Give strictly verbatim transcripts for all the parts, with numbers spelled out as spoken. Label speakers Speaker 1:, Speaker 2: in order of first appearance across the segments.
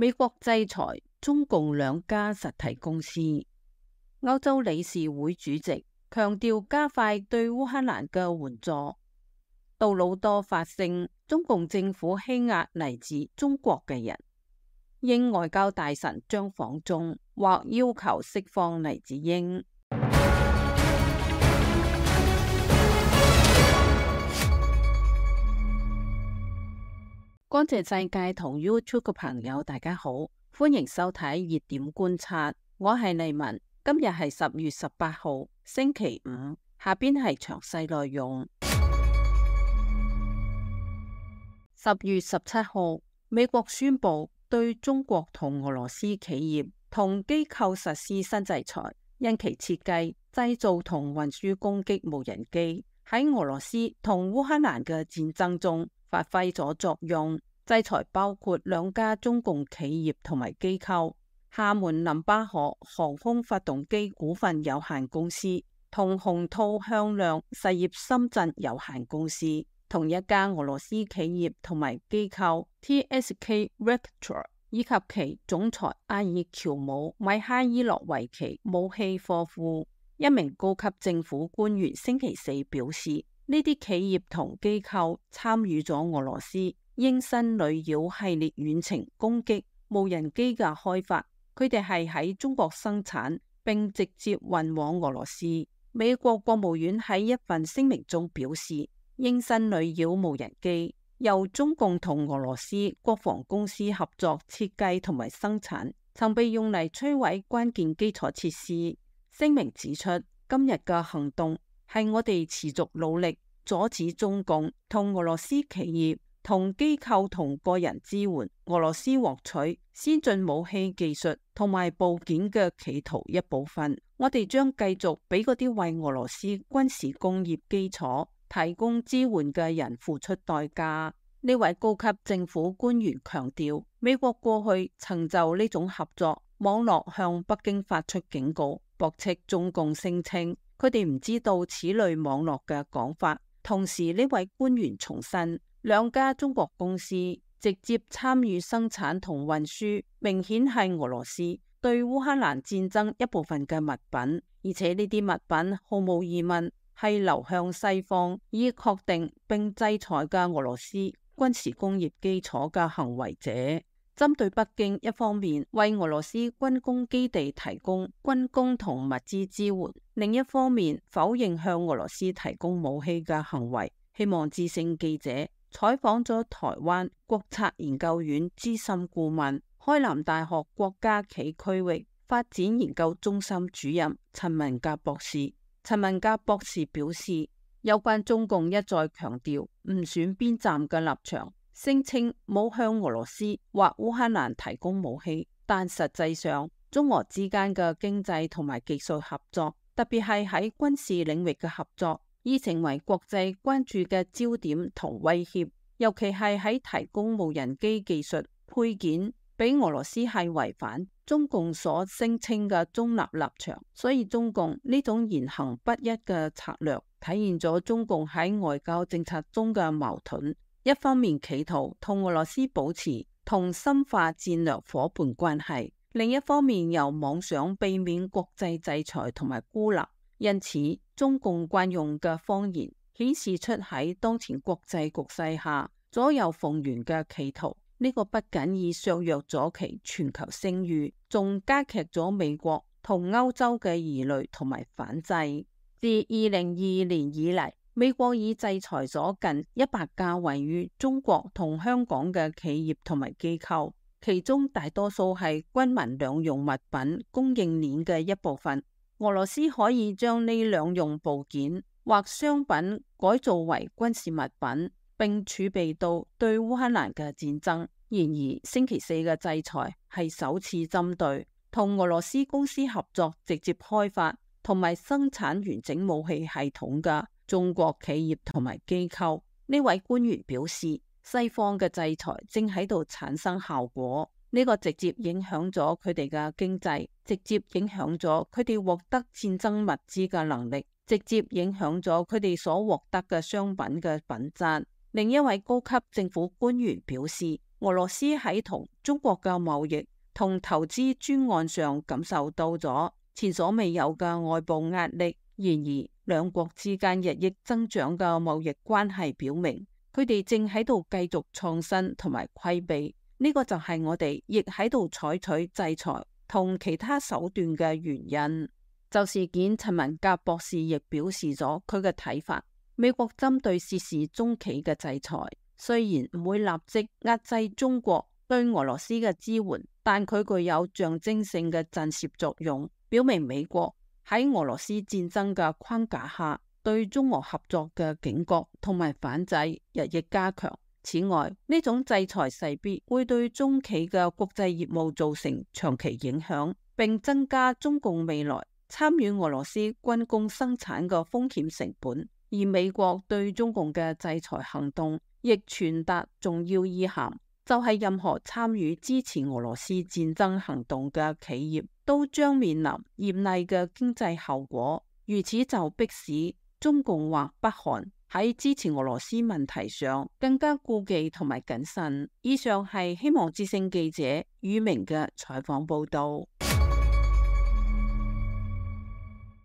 Speaker 1: 美國制裁中共兩家實體公司。歐洲理事會主席強調加快對烏克蘭嘅援助。杜魯多發聲，中共政府欺壓嚟自中國嘅人。英外交大臣將訪中，或要求釋放黎智英。乾淨世界同 YouTube 嘅朋友，大家好，歡迎收睇熱點觀察，我係麗文。今日係十月十八號，星期五。下邊係詳細內容。十月十七號，美國宣布對中國同俄羅斯企業同機構實施新制裁，因其設計、製造同運輸攻擊無人機，喺俄羅斯同烏克蘭嘅戰爭中發揮咗作用。制裁包括兩家中共企業同埋機構：廈門林巴河航空發動機股份有限公司同鴻兔向量實業深圳有限公司。同一家俄羅斯企業同埋機構 T S K Vector 以及其總裁阿爾喬姆米哈伊洛維奇武器貨庫。一名高級政府官員星期四表示，呢啲企業同機構參與咗俄羅斯鷹新女妖系列遠程攻擊無人機嘅開發，佢哋係喺中國生產並直接運往俄羅斯。美國國務院喺一份聲明中表示，鷹新女妖無人機由中共同俄羅斯國防公司合作設計同埋生產，曾被用嚟摧毀關鍵基礎設施。聲明指出，今日嘅行動係我哋持續努力阻止中共同俄羅斯企業同機構同個人支援俄羅斯獲取先進武器技術同埋部件嘅企圖一部分。我哋將繼續俾嗰啲為俄羅斯軍事工業基礎提供支援嘅人付出代價。呢位高級政府官員強調，美國過去曾就呢種合作網絡向北京發出警告，駁斥中共聲稱佢哋唔知道此類網絡嘅講法。同時，呢位官員重申，兩家中國公司直接參與生產同運輸，明顯係俄羅斯對烏克蘭戰爭一部分嘅物品，而且呢啲物品毫無疑問係流向西方以確定並制裁嘅俄羅斯軍事工業基礎嘅行為者。針對北京一方面為俄羅斯軍工基地提供軍工同物資支援，另一方面否認向俄羅斯提供武器嘅行為。希望之聲記者採訪咗台灣國策研究院資深顧問、開南大學國家暨區域發展研究中心主任陳文甲博士。陳文甲博士表示，有關中共一再強調唔選邊站嘅立場，聲稱冇向俄羅斯或烏克蘭提供武器，但實際上中俄之間嘅經濟同埋技術合作，特別係喺軍事領域嘅合作，已成為國際關注嘅焦點同威脅，尤其係喺提供無人機技術配件俾俄羅斯，係違反中共所聲稱嘅中立立場。所以中共呢種言行不一嘅策略，體現咗中共喺外交政策中嘅矛盾。一方面企圖同俄羅斯保持同深化戰略夥伴關係，另一方面又妄想避免國際制裁同埋孤立。因此，中共慣用嘅謊言顯示出喺當前國際局勢下左右逢源嘅企圖。呢個不僅已削弱咗其全球聲譽，仲加劇咗美國同歐洲嘅疑慮同埋反制。自二零二二年以嚟，美國已制裁咗近一百家位於中國同香港嘅企業同埋機構，其中大多數係軍民兩用物品供應鏈嘅一部分。俄羅斯可以將呢兩用部件或商品改造為軍事物品，並儲備到對烏克蘭嘅戰爭。然而，星期四嘅制裁係首次針對同俄羅斯公司合作直接開發同埋生產完整武器系統嘅中國企業同埋機構。呢位官員表示，西方嘅制裁正喺度產生效果，呢個直接影響咗佢哋嘅經濟，直接影響咗佢哋獲得戰爭物資嘅能力，直接影響咗佢哋所獲得嘅商品嘅品質。另一位高級政府官員表示，俄羅斯喺同中國嘅貿易同投資專案上感受到咗前所未有嘅外部壓力。然而，兩國之間日益增長嘅貿易關係表明，佢哋正喺度繼續創新同埋規避。呢個就係我哋亦喺度採取制裁同其他手段嘅原因。就事件，陳文甲博士亦表示咗佢嘅睇法。美國針對涉事中企嘅制裁，雖然唔會立即壓制中國對俄羅斯嘅支援，但佢具有象徵性嘅震懾作用，表明美國喺俄羅斯戰爭嘅框架下對中俄合作嘅警覺同埋反制日益加強。此外，呢種制裁勢必會對中企嘅國際業務造成長期影響，並增加中共未來參與俄羅斯軍工生產嘅風險成本。而美國對中共嘅制裁行動亦傳達重要意涵，就係任何參與支持俄羅斯戰爭行動嘅企業都將面臨嚴厲嘅經濟後果。如此就迫使中共或北韓喺支持俄羅斯問題上更加顧忌同埋謹慎。以上係希望之聲記者宇明嘅採訪報道。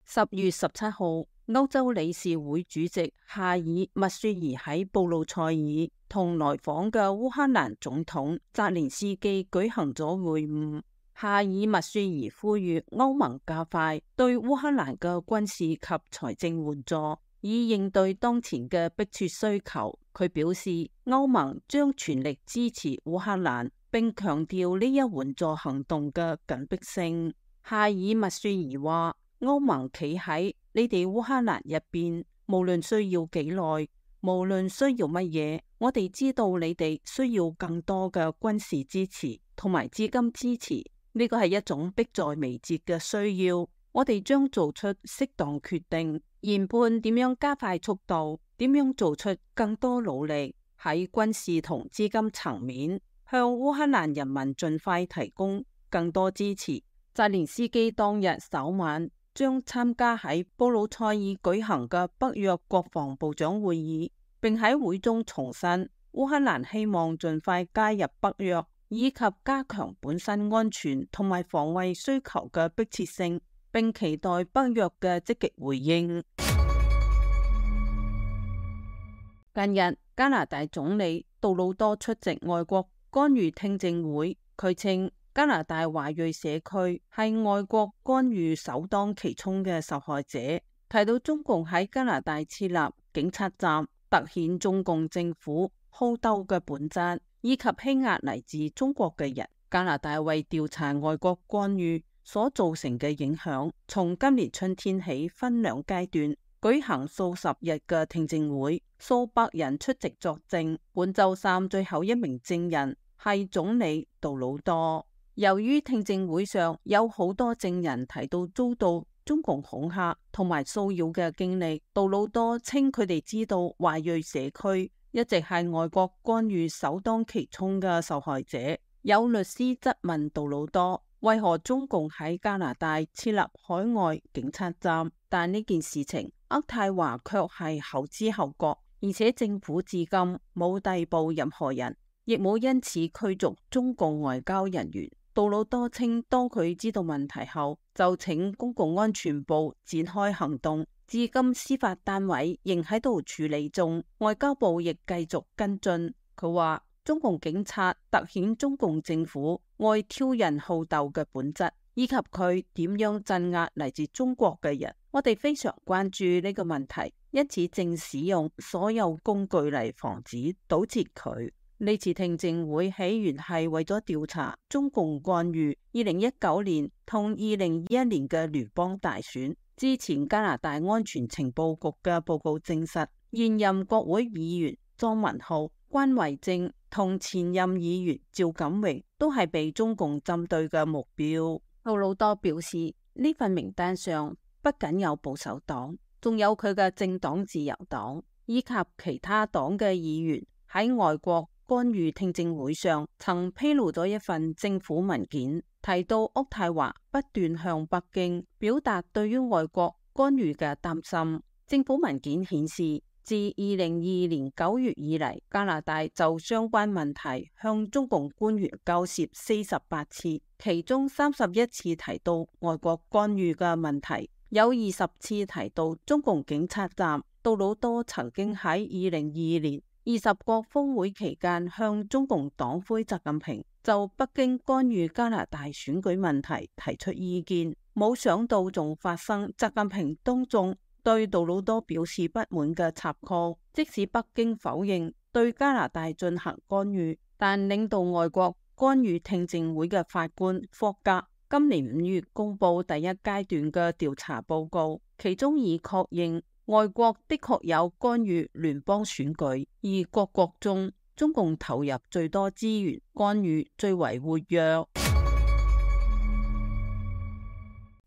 Speaker 1: 十月十七號，歐洲理事會主席夏爾麥雪兒喺布魯塞爾同來訪嘅烏克蘭總統澤連斯基舉行咗會晤。夏爾麥雪兒呼籲歐盟加快對烏克蘭嘅軍事及財政援助，以應對當前嘅迫切需求。佢表示，歐盟將全力支持烏克蘭，並強調呢一援助行動嘅緊迫性。夏爾麥雪兒話，歐盟企喺你哋烏克蘭入邊，無論需要幾耐，無論需要乜嘢，我哋知道你哋需要更多嘅軍事支持同埋資金支持。呢個係一種迫在眉睫嘅需要，我哋將做出適當決定，研判點樣加快速度，點樣做出更多努力喺軍事同資金層面，向烏克蘭人民盡快提供更多支持。澤連斯基當日首晚將參加喺布魯塞爾舉行嘅北約國防部長會議，並喺會中重申烏克蘭希望盡快加入北約，以及加強本身安全同埋防衛需求嘅迫切性，並期待北約嘅積極回應。近日，加拿大總理杜魯多出席外國干預聽證會，佢稱加拿大華裔社區係外國干預首當其衝嘅受害者，提到中共喺加拿大設立警察站，凸顯中共政府好鬥嘅本質，以及欺壓嚟自中國嘅人。加拿大為調查外國干預所造成嘅影響，從今年春天起分兩階段舉行數十日嘅聽證會，數百人出席作證。本周三最後一名證人係總理杜魯多。由於聽證會上有好多證人提到遭到中共恐嚇同埋騷擾嘅經歷，杜魯多稱佢哋知道華裔社區一直係外國干預首當其衝嘅受害者。有律師質問杜魯多，為何中共喺加拿大設立海外警察站？但呢件事情渥太華卻係後知後覺，而且政府至今冇逮捕任何人，亦冇因此驅逐中共外交人員。杜魯多稱，當佢知道問題後，就請公共安全部展開行動，至今司法單位仍喺度處理中，外交部亦繼續跟進。佢話，中共警察凸顯中共政府愛挑釁好鬥嘅本質，以及佢點樣鎮壓嚟自中國嘅人。我哋非常關注呢個問題，因此正使用所有工具嚟防止堵截佢。呢次聽證會起源係為咗調查中共干預二零一九年同二零二一年嘅聯邦大選。之前加拿大安全情報局嘅報告證實，現任國會議員莊文浩、關維正同前任議員趙錦榮都係被中共針對嘅目標。杜魯多表示，呢份名單上不僅有保守黨，仲有佢嘅政黨自由黨以及其他黨嘅議員喺外國干預聽證會上曾披露咗一份政府文件，提到渥太華不斷向北京表達對於外國干預嘅擔心。政府文件顯示，自二零二二年九月以嚟，加拿大就相關問題向中共官員交涉四十八次，其中三十一次提到外國干預嘅問題，有二十次提到中共警察站。杜魯多曾經喺二零二二年二十國峰會期間向中共黨魁習近平就北京干預加拿大選舉問題提出意見，冇想到仲發生習近平當眾對杜魯多表示不滿嘅插曲。即使北京否認對加拿大進行干預，但領導外國干預聽證會嘅法官霍格今年五月公布第一階段嘅調查報告，其中已確認外國的確有干預聯邦選舉，而各國中中共投入最多資源，干預最為活躍。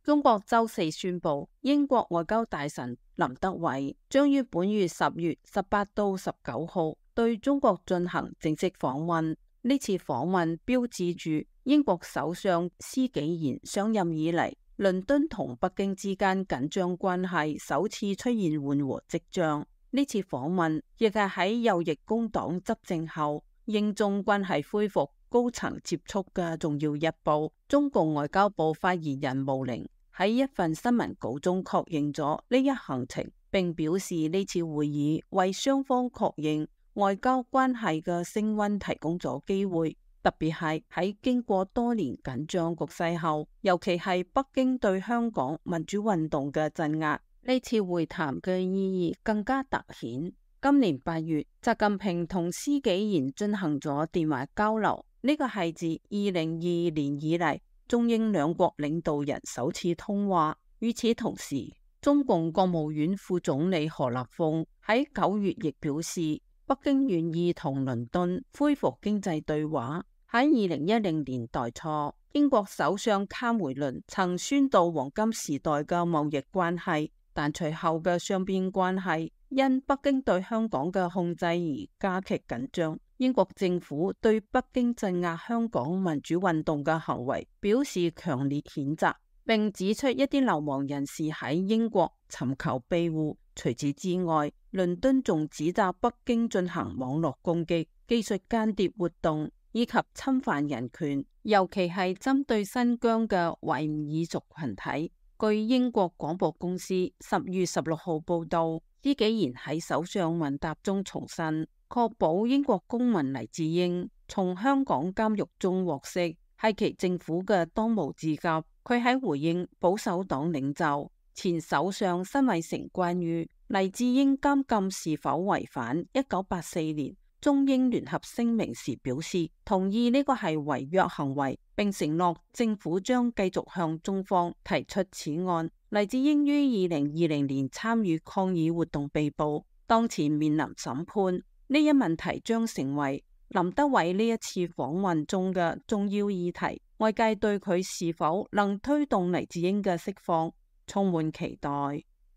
Speaker 1: 中國周四宣布，英國外交大臣林德偉將於本月十月十八到十九號對中國進行正式訪問。呢次訪問標誌住英國首相施紀賢上任以嚟，倫敦同北京之間緊張關係首次出現緩和跡象。呢次訪問亦係喺右翼工黨執政後，英中關係恢復高層接觸嘅重要一步。中共外交部發言人毛寧喺一份新聞稿中確認咗呢一行程，並表示呢次會議為雙方確認外交關係嘅升溫提供咗機會，特別係喺經過多年緊張局勢後，尤其係北京對香港民主運動嘅鎮壓，呢次會談嘅意義更加凸顯。今年八月，習近平同施紀賢進行咗電話交流，呢個係自二零二二年以嚟中英兩國領導人首次通話。與此同時，中共國務院副總理何立峰喺九月亦表示，北京願意同倫敦恢復經濟對話。喺二零一零年代初，英國首相卡梅倫曾宣導黃金時代嘅貿易關係，但隨後嘅雙邊關係因北京對香港嘅控制而加劇緊張。英國政府對北京鎮壓香港民主運動嘅行為表示強烈譴責，並指出一啲流亡人士喺英國尋求庇護。除此之外，倫敦仲指責北京進行網絡攻擊、技術間諜活動以及侵犯人權，尤其係針對新疆嘅維吾爾族群體。據英國廣播公司十月十六號報道，施紀賢喺首相問答中重申，確保英國公民黎智英從香港監獄中獲釋係其政府嘅當務之急。佢喺回應保守黨領袖前首相辛偉誠關於黎智英監禁是否違反一九八四年中英聯合聲明時表示同意呢個係違約行為，並承諾政府將繼續向中方提出此案。黎智英於二零二零年參與抗議活動被捕，當前面臨審判。呢一問題將成為林德偉呢一次訪問中嘅重要議題，外界對佢是否能推動黎智英嘅釋放充滿期待。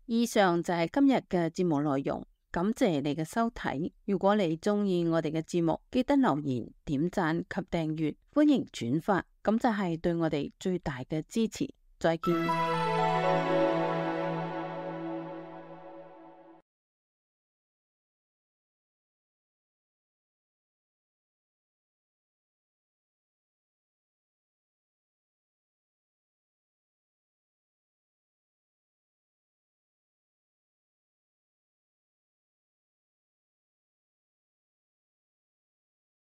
Speaker 1: 以上就係今日嘅節目內容，感謝你嘅收睇。如果你中意我哋嘅節目，記得留言、點讚及訂閱，歡迎轉發，咁就係對我哋最大嘅支持。再見。